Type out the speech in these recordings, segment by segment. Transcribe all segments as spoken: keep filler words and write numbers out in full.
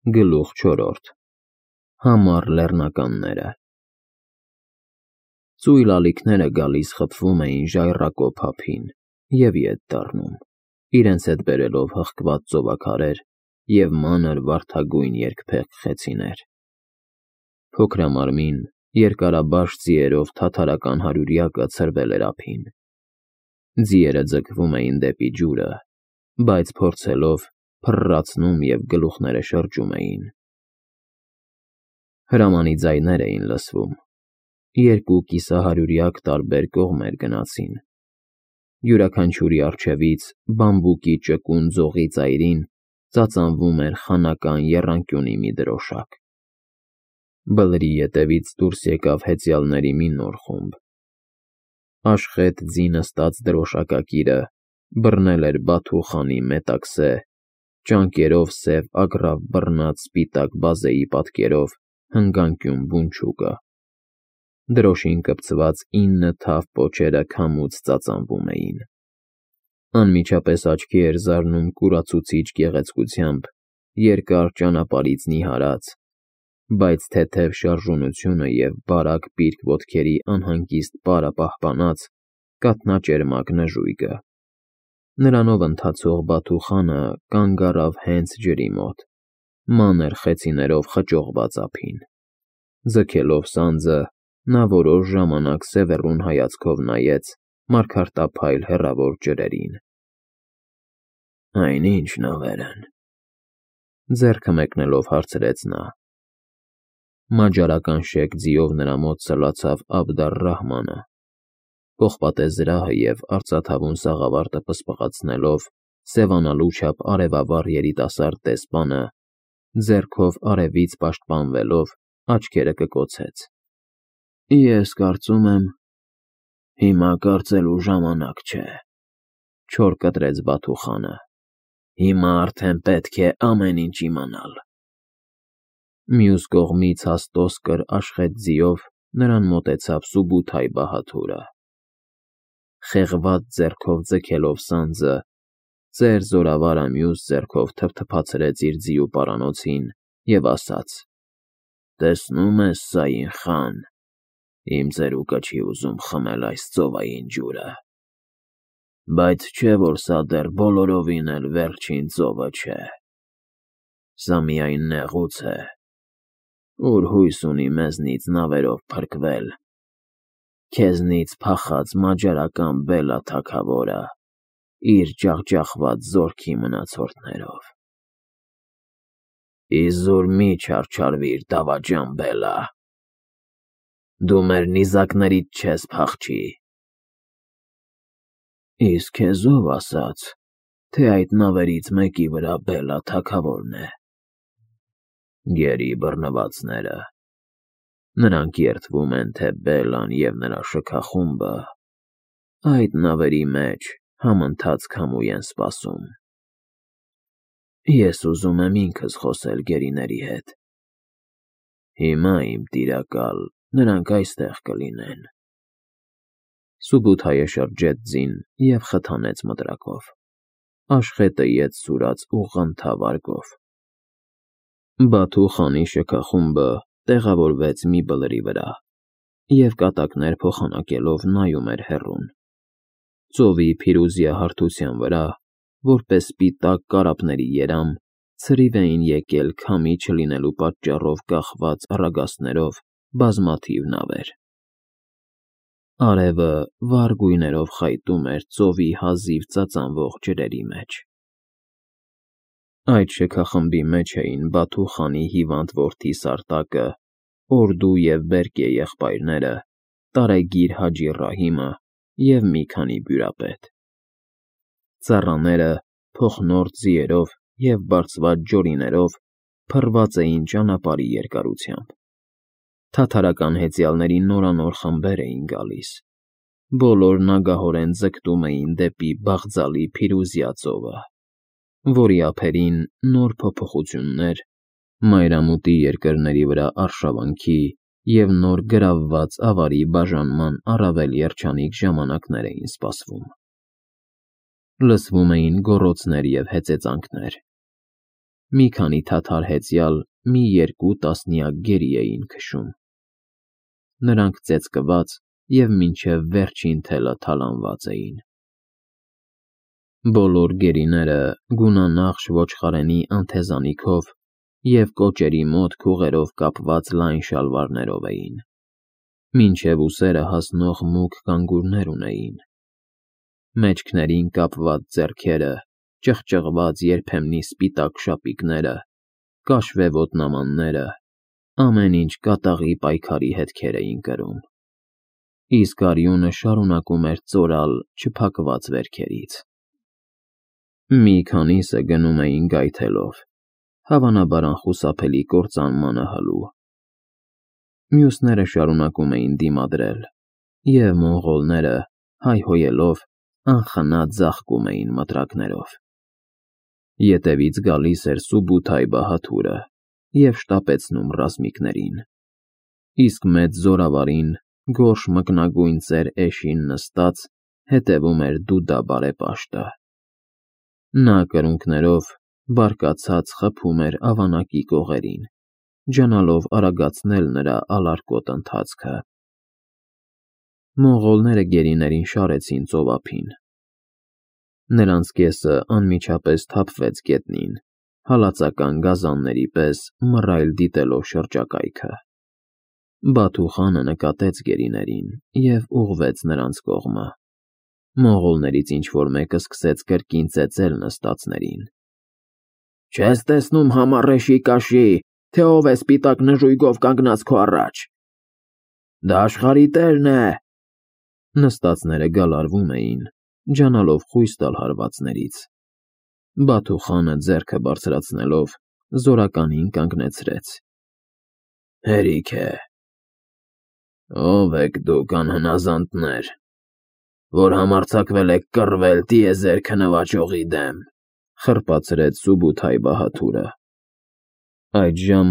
Գլուխ չորրորդ Համառ լեռնականները Ծույլ ալիքները գալիս խփվում էին ժայռակոп ափին և ետ դառնում, իրենց հետ բերելով հղկված ծովաքարեր և մանր վարդագույն երկփեղկ խեցիներ։ Փոքրամարմին, երկարաբաշ ձիերով թաթարական հարյուրյակը ցրվել էր ափին։ Ձիերը ձգվում էին դեպի ջուրը, բայց փորձելով, փռռացնում և գլուխները շրջում էին։ Հրամանի ձայներ էին լսվում։ Երկու կիսահարյուրյակ տարբեր կողմեր գնացին։ Յուրաքանչյուրի առջևից, բամբուկի ճկուն ձողի ծայրին, ծածանվում էր խանական եռանկյունի մի դրոշակ։ Բլրի ետևից դուրս եկավ հեծյալների մի նոր խումբ։ Աշխեթ ձի նստած դրոշակակիրը բռնել էր Բաթու խանի մետաքսե, ճանկերով սև ագռավ բռնած սպիտակ բազեի պատկերով հնգանկյուն բունչուկը։ Դրոշին կպցված ինը թավ պոչերը քամուց ծածանվում էին։ Անմիջապես աչքի էր զարնում կուրացուցիչ գեղեցկությամբ երկար ճանապարհից նիհարած, բայց թեթև շարժունությունը և բարակ պիրկ ոտքերի անհանգիստ պարը պահպանած կաթնաճերմակ նժույգը։ Նրանով ընթացող Բաթու խանը կանգ առավ հենց ջրի մոտ, մանր խեցիներով խճողված ափին։ Ձգելով սանձը, նա որոշ ժամանակ սևեռուն հայացքով նայեց մարգարտափայլ հեռավոր ջրերին։ «Այն ի՞նչ նավեր են,֊ ձեռքը մեկնելով հարցրեց նա։ Մաջարական շեկ ձիով նրա մոտ սլացավ Աբդառ֊Ռահմանը, պողպատե զրահը և արծաթավուն սաղավարտը պսպղացնելով սևանալու չափ արևավառ երիտասարդ դեսպանը, ձեռքով արևից պաշտպանվելով, աչքերը կկոցեց։ «Ես կարծում եմ, հիմա կարծելու ժամանակ չէ,֊ չոր կտրեց Բաթու խանը։ Հիմա արդեն պետք է ամեն ինչ իմանալ»։ Մյուս կողմից հաստոսկր աշխեթ ձիով նրան մոտեցավ Սուբութայ Բահադուրը։ Խեղված ձեռքով ձգելով սանձը, ծեր զորավարը մյուս ձեռքով թփթփացրեց իր ձիու պարանոցին և ասաց. «Տեսնո՞ւմ ես, Սաին խան, իմ ծերուկը չի ուզում խմել այս ծովային ջուրը։ Բայց չէ՞ որ սա դեռ բոլորովին էլ վերջին ծովը չէ։ Սա միայն նեղուց է, ուր հույս ունի մեզնից նավերով փրկվել, քեզնից փախած մաջարական Բելա թագավորը իր ջախջախված զորքի մնացորդներով։ Իզուր մի չարչարվիր, դավաճան Բելա, դու մեր նիզակներից չես փախչի։ Իսկ քեզ ո՞վ ասաց, թե այդ նավերից մեկի վրա Բելա թագավորն է։ Գերի բռնվածները։ Նրանք երդվում են, թե Բելան և նրա շքախումբը այդ նավերի մեջ համընթաց քամու են սպասում։ Ես ուզում եմ ինքս խոսել գերիների հետ։ Հիմա, իմ տիրակալ, նրանք այստեղ կլինեն։ Սուբութայը շրջեց ձին և խթանեց մտրակով։ Աշխետը ետ սուրաց ուղղընթավ արգով։ Բաթու խանի շքախումբը տեղավորվեց մի բլրի վրա և կատակներ փոխանակելով նայում էր հեռուն։ Ծովի փիրուզյա հարթության վրա, որպես սպիտակ կարապների երամ, ցրիվ էին եկել քամի չլինելու պատճառով կախված առագաստներով բազմաթիվ նավեր։ Արևը վառ գույներով խայտում էր ծովի հազիվ ծածանվող ջրերի մեջ։ Այդ շքախմբի մեջ էին Բաթու խանի հիվանդ որդի Սարտակը, Օրդու և Բերկե եղբայրները, տարեգիր Հաջի Ռահիմը և մի քանի բյուրապետ։ Ծառաները, փոխնորթ ձիերով և բարձված ջորիներով, փռված էին ճանապարհի երկարությամբ։ Թաթարական հեծյալների նորանոր խմբեր էին գալիս։ Բոլորն ագահորեն ձգտում էին դեպի Բաղձալի Փիրուզյա ծովը, որի ափերին նոր փոփոխություններ, մայրամուտի երկրների վրա արշավանքի և նոր գրավված ավարի բաժանման առավել երջանիկ ժամանակներ էին սպասվում։ Լսվում էին գոռոցներ և հեծեծանքներ։ մի քանի թաթար հեծյալ, մի երկու տասնյակ գերի էին քշում։ Նրանք ծեծկված և մինչև վերջին թելը թալանված էին։ Բոլոր գերիները գունանախշ ոչխարենի անթեզանիքով և կոճերի մոտ քուղերով կապված լայն շալվարներով էին, մինչև ուսերը հասնող մուգ գանգուրներ ունեին։ Մեջքներին կապված ձեռքերը, ճղճղված երբեմնի սպիտակ շապիկները, կաշվե ոտնամանները, ամեն ինչ կատաղի պայքարի հետքեր էին կրում, իսկ արյունը շարունակում էր ծորալ չփակված վերքերից։ Մի քանիսը գնում էին գայթելով, հավանաբար անխուսափելի կործանմանը հլու։ Մյուսները շարունակում էին դիմադրել, և մոնղոլները, հայհոյելով, անխնա ձաղկում էին մտրակներով։ Ետևից գալիս էր Սուբութայ-Բահադուրը և շտապեցնում ռազմիկներին, իսկ մեծ զորավարին, գորշ մկնագույն ծեր էշին նստած, հետևում էր Դուդա բարեպաշտը։ Նա կրունկներով, բարկացած խփում էր ավանակի կողերին, ջանալով արագացնել նրա ալարկոտ ընթացքը։ Մոնղոլները գերիներին շարեցին ծովափին։ Նրանց կեսը անմիջապես թափվեց գետնին, հալածական գազանների պես մռայլ դիտելով շրջակայքը։ Բաթու խանը նկատեց գերիներին և ուղղվեց նրանց կողմը։ Մոնղոլներից ինչ-որ մեկը սկսեց կրկին ծեծել նստածներին։ «Չես տեսնում համառեշի կաշի, թե ով է սպիտակ նժույգով կանգնած քո առաջ։ Դա աշխարհի տերն է»։ Նստածները գալարվում էին, ջանալով խույս տալ հարվածներից։ Բաթու խանը ձեռքը բարձրացնելով, զորականին կանգնեցրեց։ «Հերիք է։ Ո՞վ եք դուք, անհնազանդներ, որ համարձակվել եք կռվել տիեզերքը նվաճողի դեմ», խրպացրեց Սուբութայ-Բահադուրը։ Այդժամ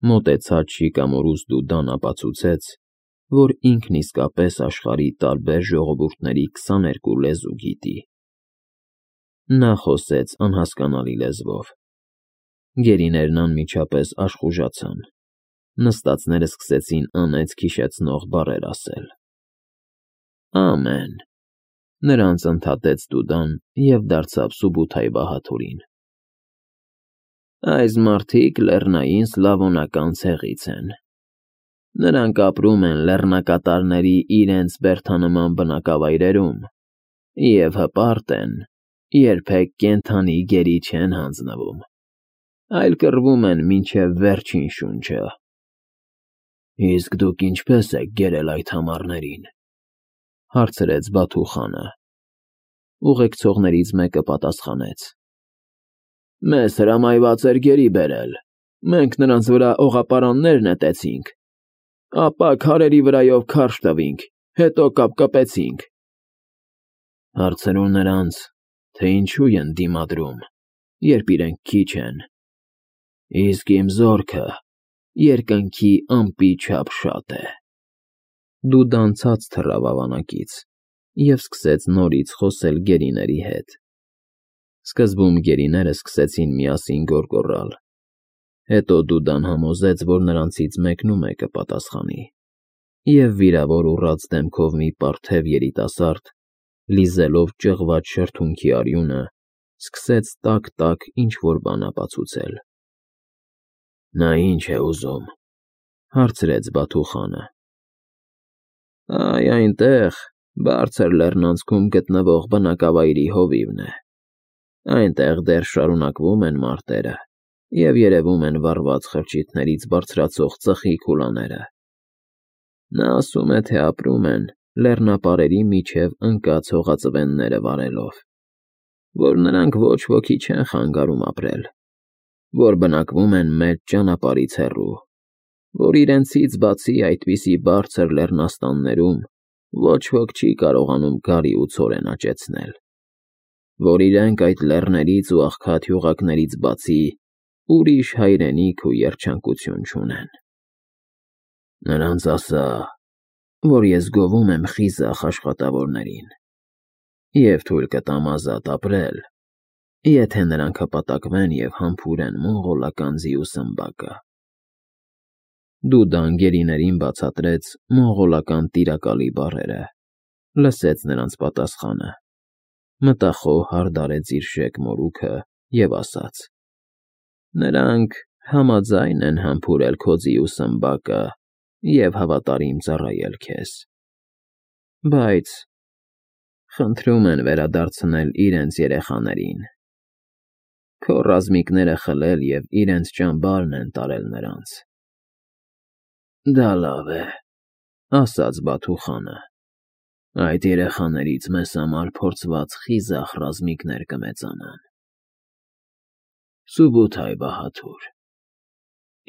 մոտեցած Շիկամորուս Դուդան ապացուցեց, որ ինքն իսկապես աշխարհի տարբեր ժողովուրդների քսաներկու լեզու գիտի։ Նա խոսեց անհասկանալի լեզվով։ Գերիներն անմիջապես աշխուժացան։ Նստածները սկսեցին անեծք-հիշեցնող բառեր ասել։ «Ամեն», նրանց ընդհատեց Դուդան և դարձավ Սուբութայ-Բահադուրին։ «Այս մարդիկ լեռնային սլավոնական ցեղից են։ Նրանք ապրում են լեռնակատարների իրենց բերդանման բնակավայրերում և հպարտ են, երբեք կենդանի գերի չեն հանձնվում, այլ կռվում են մինչև վերջին շունչը»։ «Իսկ դուք ինչպե՞ս եք գերել այդ համառներին», հարցրեց Բաթու խանը։ Ուղեկցողներից մեկը պատասխանեց. «Մեզ հրամայված էր գերի բերել, մենք նրանց վրա օղապարաններ նետեցինք, ապա քարերի վրայով քարշ տվինք, հետո կապկպեցինք»։ «Հարցրու նրանց, թե ինչու են դիմադրում, երբ իրենք քիչ են, իսկ իմ զորքը երկնքի ամպի չափ շատ է»։ Դուդան ցած թռավ ավանակից և սկսեց նորից խոսել գերիների հետ։ Սկզբում գերիները սկսեցին միասին գոռգոռալ։ Հետո Դուդան համոզեց, որ նրանցից մեկնումեկը պատասխանի, և վիրավոր ուռած դեմքով մի պարթև երիտասարդ, լիզելով ճղված շրթունքի արյունը, սկսեց տաք-տաք ինչ-որ բան ապացուցել։ «Նա ի՞նչ է ուզում», հարցրեց Բաթու խանը։ «Այ այնտեղ, բարձր լեռնանցքում գտնվող բնակավայրի հովիվն է։ Այնտեղ դեռ շարունակվում են մարտերը և երևում են վառված խրճիթներից բարձրացող ծխի քուլաները։ Նա ասում է, թե ապրում են լեռնապարերի միջև ընկած հողածվենները վարելով, որ նրանք ոչ ոքի չեն խանգարում ապրել, որ բնակվում են մեծ ճանապարհից հեռու, որ իրենցից բացի այդպիսի բարձր լեռնաստաններում ոչ ոք չի կարողանում գարի ու ցորեն աճեցնել, որ իրենք այդ լեռներից ու աղքատ հյուղակներից բացի ուրիշ հայրենիք ու երջանկություն չունեն։ Նրանց ասա, որ ես գովում եմ խիզախ աշխատավորներին և թույլ կտամ ազատ ապրել, Եթե նրանք հպատակվեն և համբուրեն մոնղոլական ձիու սմբակը։ Դու դանգերիներին բացատրեց մոնղոլական տիրակալի բառերը, լսեց նրանց պատասխանը, մտախոհ հարդարեց իր շեկ մորուքը և ասաց. Նրանք համաձայն են համբուրել քո ձիու սմբակը և հավատարիմ ծառայել քեզ, բայց խնդրում են վերադարձնել իրենց երեխաներին, քո ռազմիկները խլել և իրենց ճամբարն են տարել նրանց։ Դա լավ է, ասաց Բաթուխանը, այդ երեխաներից մեզ համար փորձված խիզախ ռազմիկներ կմեծանան։ Սուբութայ Բահադուր,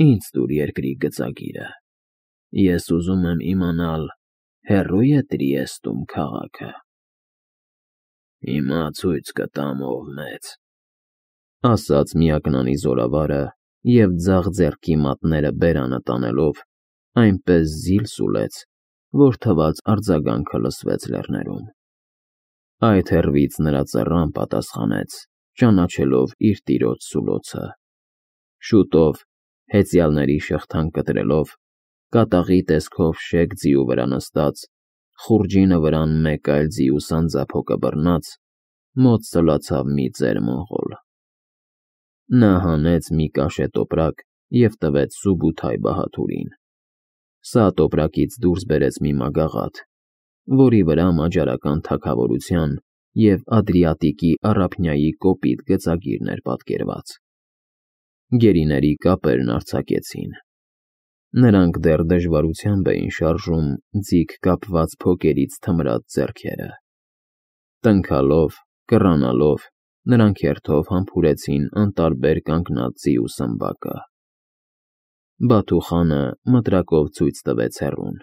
ինձ տուր երկրի գծագիրը, ես ուզում եմ իմանալ, հեռո՞ւ է Տրիեստում քաղաքը։ Հիմա ցույց կտամ, ով մեծ, ասաց միակնանի զորավարը և ձախ ձեռքի մատները բերանը տանելով այնպես զիլ սուլեց, որ թվաց արձագանքը լսվեց լեռներում։ Այդ հեռվից նրա ծռան պատասխանեց, ճանաչելով իր տիրոջ սուլոցը։ Շուտով, հեծյալների շղթան կտրելով, կատաղի տեսքով շեկ ձիու վրա նստած, խուրջինը վրան մեկ այլ ձիու սանձափոկը բռնած, մոտ սլացավ մի ծեր մոնղոլ։ Նա հանեց մի կաշե տոպրակ և տվեց Սուբութայ Բահադուրին։ Սա տոպրակից դուրս բերեց մի մագաղաթ, որի վրա մաջարական թագավորության և Ադրիատիկի առափնյայի կոպիտ գծագիրն էր պատկերված։ Գերիների կապերն արձակեցին։ Նրանք դեռ դժվարությամբ էին շարժում ձիգ կապված փոկերից թմրած ձեռքերը։ Տնքալով, կռանալով, նրանք հերթով համբուրեցին անտարբեր կանգնած ձիու սմբակը։ Բաթուխանը մտրակով ցույց տվեց հեռուն։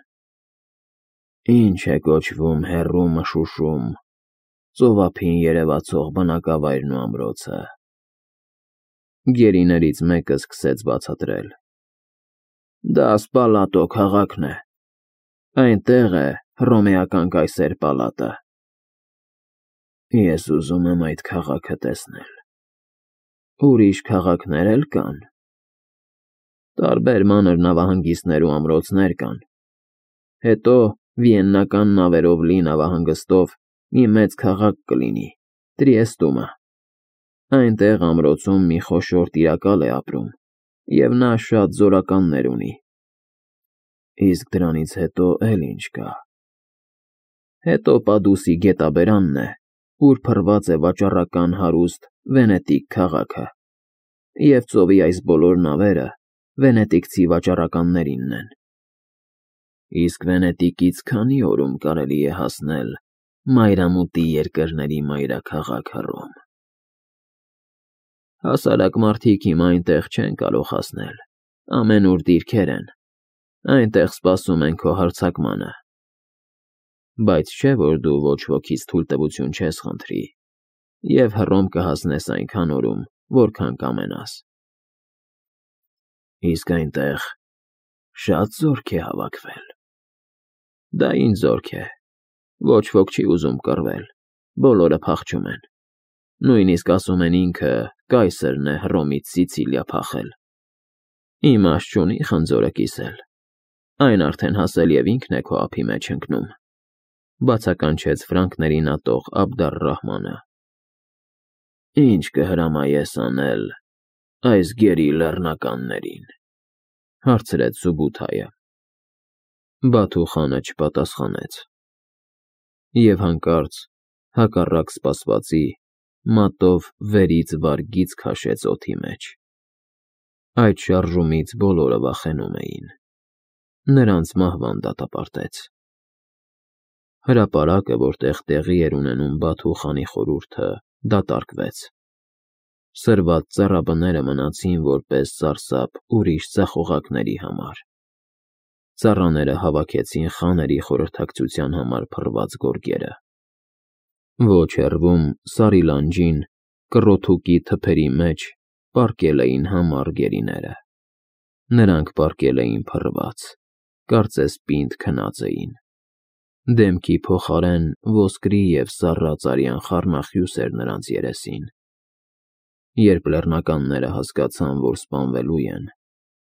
Ինչ է կոչվում հեռու մշուշում, ծովափին երևացող բնակավայրն ու ամրոցը։ Գերիներից մեկը սկսեց բացատրել. Դա Սպալատո քաղաքն է, այնտեղ է հռոմեական կայսեր պալատը։ Ես ուզում եմ այդ քաղաքը տեսնել։ Ուրիշ քաղաքներ էլ կան։ Տարբեր մանր նավահանգիստներ ու ամրոցներ կան։ Հետո վիեննական նավերով լի նավահանգստով մի մեծ քաղաք կլինի, Տրիեստումը։ Այնտեղ ամրոցում մի խոշոր տիրակալ է ապրում, և նա շատ զորականներ ունի։ Իսկ դրանից հետո էլ ինչ կա։ Հետո Պադուսի գետաբերանն է, ուր փռված է վաճառական հարուստ Վենետիկ քաղաքը, և ծովի այս բոլոր նավերը վենետիկցի վաճառականներինն են։ Իսկ Վենետիկից քանի օրում կարելի է հասնել մայրամուտի երկրների մայրաքաղաք Հռոմ։ Հասարակ մարդիկ հիմա այնտեղ չեն կարող հասնել, ամենուր դիրքեր են, այնտեղ սպասում են քո հարձակմանը։ Բայց չէ՞ որ դու ոչ ոքից թույլտվություն չես խնդրի, և Հռոմ կհասնես այնքան օրում, որքան կամենաս։ Իսկ այնտեղ շա՞տ զորք է հավաքվել։ Դա ինչ զորք է, ոչ ոք չի ուզում կռվել, բոլորը փախչում են։ Նույնիսկ ասում են ինքը կայսրն է Հռոմից Սիցիլիա փախել։ Իմաստ չունի խնձորը կիսել, այն արդեն հասել և ինքն է քո ափի մեջ ընկնում, բացականչեց ֆրանկներին ատող Աբդալ֊Ռահմանը։ Ինչ կհրամայես անել այս գերի լեռնականներին, հարցրեց Սուբութայը։ Բաթուխանը չպատասխանեց։ Եվ հանկարծ, հակառակ սպասվածի, մատով վերից վարգից քաշեց օդի մեջ։ Այդ շարժումից բոլորը վախենում էին։ Նրանց մահվան դատապարտեց։ Հրապարակը, որտեղ տեղի էր ունենում Բաթուխանի խորհուրդը, դատարկվեց։ Սրված ծառաբները մնացին որպես սարսափ ուրիշ ձախողակների համար։ Ծառաները հավաքեցին խաների խորհրդակցության համար փռված գորգերը։ Ոչ հեռվում, Սարի լանջին, կռոթուկի թփերի մեջ պառկել էին համառ գերիները։ Նրանք պառկել էին փռված, կարծես պինդ քնած էին։ Դեմքի փոխարեն ոսկրի և սառած արյան խառնախյուս էր նրանց երեսին։ Երբ լեռնականները հասկացան, որ սպանվելու են,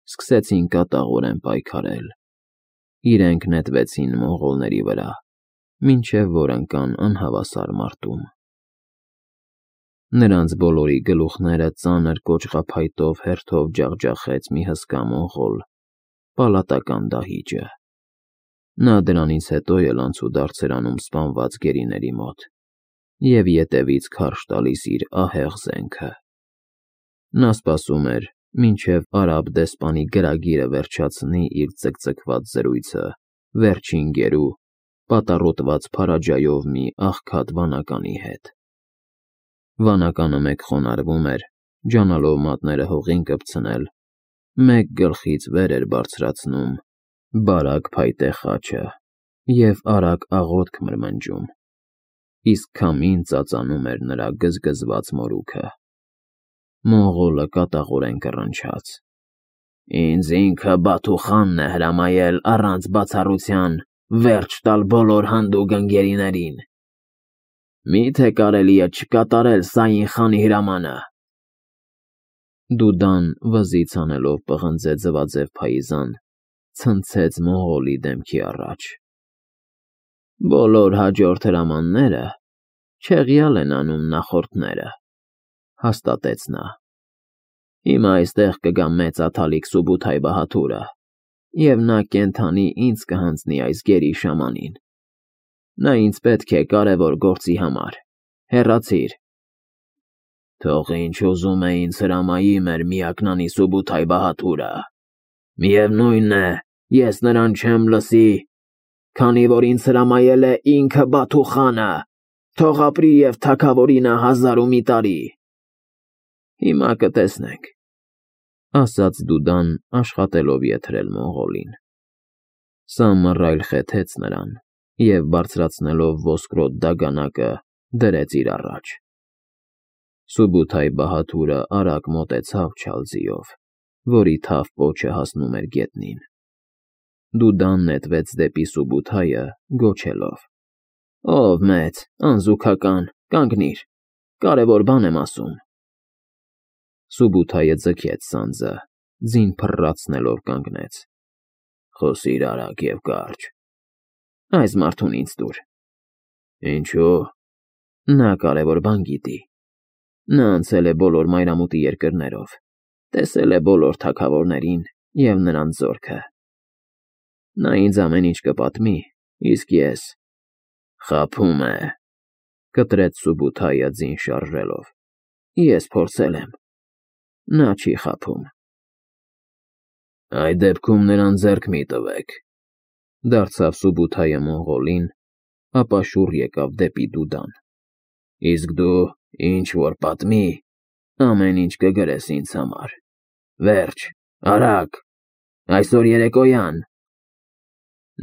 սկսեցին կատաղորեն պայքարել։ Իրենք նետվեցին մոնղոլների վրա, մինչև որ ընկան անհավասար մարտում։ Նրանց բոլորի գլուխները ծանր կոճղափայտով հերթով ջախջախեց մի հսկա մոնղոլ, պալատական դահիճը։ Նա դրանից հետո էլ անցուդարձ էր անում սպանված գերիների մոտ և ետևից քարշ տալիս իր ահեղ զենքը։ Նա սպասում էր, մինչև արաբ դեսպանի գրագիրը վերջացնի իր ծկծկված զրույցը վերջին գերու, պատառոտված փարաջայով մի աղքատ վանականի հետ։ Վանականը մեկ խոնարհվում էր, ջանալով մատները հողին կպցնել, մեկ գլխից վեր էր բարձրացնում բարակ փայտե խաչը և արագ աղոթք մրմնջում, իսկ քամին ծածանում էր նրա գզգզված մորուքը։ Մոնղոլը կատաղորեն կռնչաց. «Ինձ ինքը Բաթուխանն է հրամայել առանց բացառության վերջ տալ բոլոր հանդուգն ընկերիներին։ Մի՞թե կարելի է չկատարել Սաին խանի հրամանը»։ Դուդան, վզից անելով պղնձե ձվաձև փայիզան, ցնցեց մոնղոլի դեմքի առաջ։ «Բոլոր հաջորդ հրամանները չեղյալ են անում նախորդները», հաստատեց նա։ «Հիմա այստեղ կգա մեծ աթալիկ Սուբութայ բահադուրը, և նա կենդանի ինձ կհանձնի այս գերի շամանին։ Նա ինձ պետք է կարևոր գործի համար, հեռացիր»։ «Թող ինչ ուզում է ինձ հրամայի մեր միակնանի Սուբութայ բահադուրը, միևնույն է, ես նրան չեմ լսի, քանի որ ինձ հրամայել է ինքը Բաթուխանը, թող ապրի և թագավորինը հազար ու մի տարի»։ «Հիմա կտեսնենք», ասաց Դուդան, աշխատելով եթրել մոնղոլին։ Սա մռայլ խեթեց նրան և, բարձրացնելով ոսկրոտ դագանակը, դրեց իր առաջ։ Սուբութայ բահադուրը արագ մոտեցավ Չալձիով, որի թավ պոչը հասնում էր գետնին։ Դուդան նետվեց դեպի Սուբութայը, գոչելով. «Ով մեծ, անզուգական, կանգնիր, կարևոր բան եմ ասում»։ Սուբութայը ձգեց սանձը, ձին փռացնելով կանգնեց։ «Խոսիր արագ և կարճ»։ «Այս մարդուն ինձ տուր»։ «Ինչո՞ւ»։ «Նա կարևոր բան գիտի։ Նա անցել է բոլոր մայրամուտի երկրներով, տեսել է բոլոր թագավորներին և նրանց զորքը։ Նա ինձ ամեն ինչ կպատմի, իսկ ես…»։ «Խաբում է», կտրեց Սուբութայը ձին շարժելով։ «Ես փորձել եմ։ Նա չի խաբում»։ «Այդ դեպքում նրան ձեռք մի տվեք», դարձավ Սուբութայը մոնղոլին, ապա շուռ եկավ դեպի Դուդան։ «Իսկ դու, ինչ որ պատմի, ամեն ինչ կգրես ինձ համար։ Վերջ, արագ, այսօր երեկոյան»։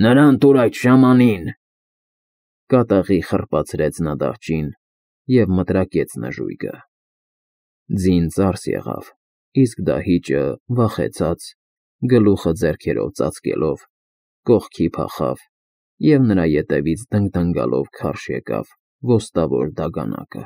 «Նրան տուր այդ շամանին», կատաղի խռպացրեց նա դահճին և մտրակեց նժույգը։ Ձին ծարս եղավ, իսկ դահիճը, վախեցած, գլուխը ձեռքերով ծածկելով, կողքի փախավ և նրա ետևից դնգդնգալով քարշ եկավ ոստավոր դագանակը։